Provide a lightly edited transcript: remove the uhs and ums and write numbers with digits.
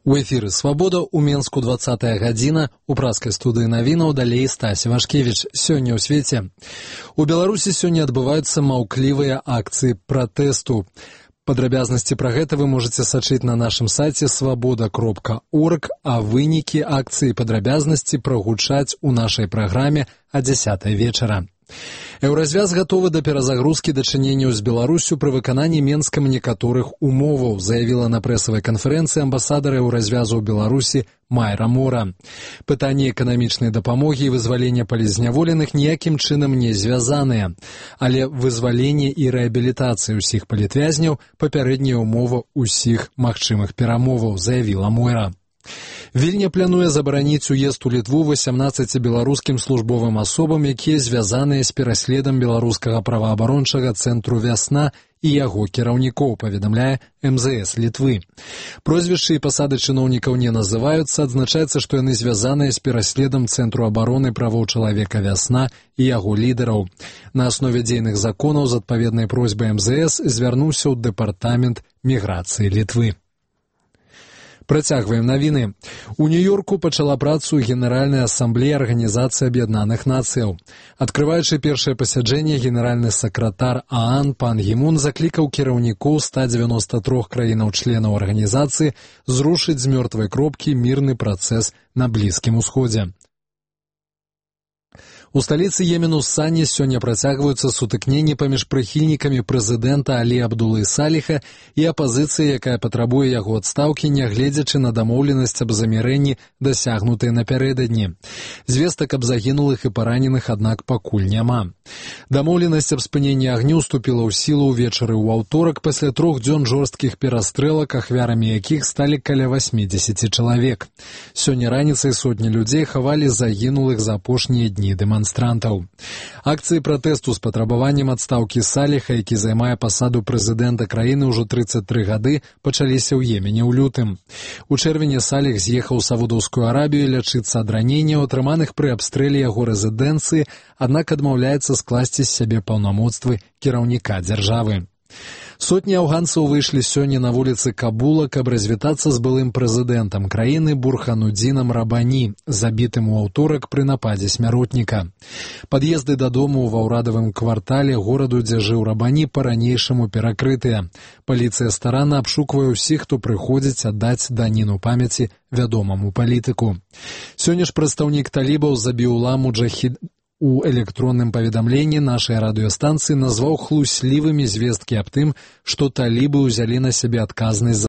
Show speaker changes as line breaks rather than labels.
У эфіры «Свабода» ў Менску 20-я гадзіна, у праскай студыі навінаў далей Стась Вашкевіч. Сёння ў свеце. У Беларусі сёння адбываюцца маўклівыя акцыі пратэсту. Падрабязнасці пра гэта вы можаце сачыць на нашым сайце swaboda.org, а вынікі акцыі падрабязнасці прагучаць у нашай праграме о 10 вечара. Еўразвяз гатовы да перазагрузкі дачыненняў з Беларусю пры выкананні Менскам некаторых умоваў, заявіла на прэсавай канферэнцыі амбасадар Еўразвязу ў Беларусі Майра Мора. Пытанні эканамічнай дапамогі і вызвалення палізняволеных ніякім чынам не звязаныя, але вызваленне і рэабілітацыя ўсіх палітвязняў папярэдняя ўмова ўсіх магчымых перамоваў, заявіла Мойра. Вільня плануе забараніць уезд у Літву 18 беларускім службовым асобам, якія звязаныя з пераследам беларускага праваабарончага цэнтру «Вясна» і яго кіраўнікоў, паведамляе МЗС Літвы. Прозвішчы і пасады чыноўнікаў не называюцца, адзначаецца, што яны звязаныя з пераследам цэнтру абароны правоў чалавека «Вясна» і яго лідараў. На аснове дзейных законаў з адпаведнай просьбай МЗС звярнуўся ў дэпартамент міграцыі Літвы. Працягваем навіны. У Нью-Йорку пачала працу Генеральная асамблея Арганізацыі Аб'яднаных Нацыяў. Адкрываючы першае пасяджэнне, генеральны сакратар ААН пан Гі-мун заклікаў кіраўнікоў 193 краінаў-членаў арганізацыі зрушыць з мёртвай кропкі мірны працэс на Блізкім Усходзе. У сталіцы Йемену Сані сёння працягваюцца сутыкненні паміж прыхільнікамі прэзідэнта Алі Абдулы Саліха і апазіцыяй, якая патрабуе яго адстаўкі, нягледзячы на дамоўленасць аб замірэнні, дасягнутай напярэдадні. Звестак аб загінулых і параненых, аднак, пакуль няма. Дамоўленасць аб спыненні агню ўступіла ў сілу ўвечары ў аўторак пасля 3 дзён жорсткіх перастрэлак, ахвярамі якіх сталі каля 80 чалавек. Сёння раніцай сотні людзей хавалі загінулых за апошнія дні дэманстрантаў. Акцыі пратэсту з патрабаваннем адстаўкі Саліха, які займае пасаду прэзідэнта краіны ўжо 33 гады, пачаліся ў Йемене ў лютым. У чэрвені Саліх з'ехаў у Саудаўскую Арабію лячыцца ад раненняў, атрыманых пры абстрэле яго рэзідэнцыі, аднак адмаўляецца скласці з сябе паўнамоцтвы кіраўніка дзяржавы. Сотні афганцаў выйшлі сёння на вуліцы Кабула, каб развітацца з былым прэзідэнтам краіны Бурханудзінам Рабані, забітым у аўторак пры нападзе смяротніка. Пад'езды дадому ва ўрадавым квартале гораду, дзе жыў Рабані, па-ранейшаму перакрытыя. Паліцыя старанна абшуквае ўсіх, хто прыходзіць аддаць даніну памяці вядомаму палітыку. Сёння ж прадстаўнік талібаў Забіула Муджахід у электронным паведамленні нашай радыёстанцыі назваў хлуслівымі звесткі аб тым, што талібы ўзялі на сябе адказнасць за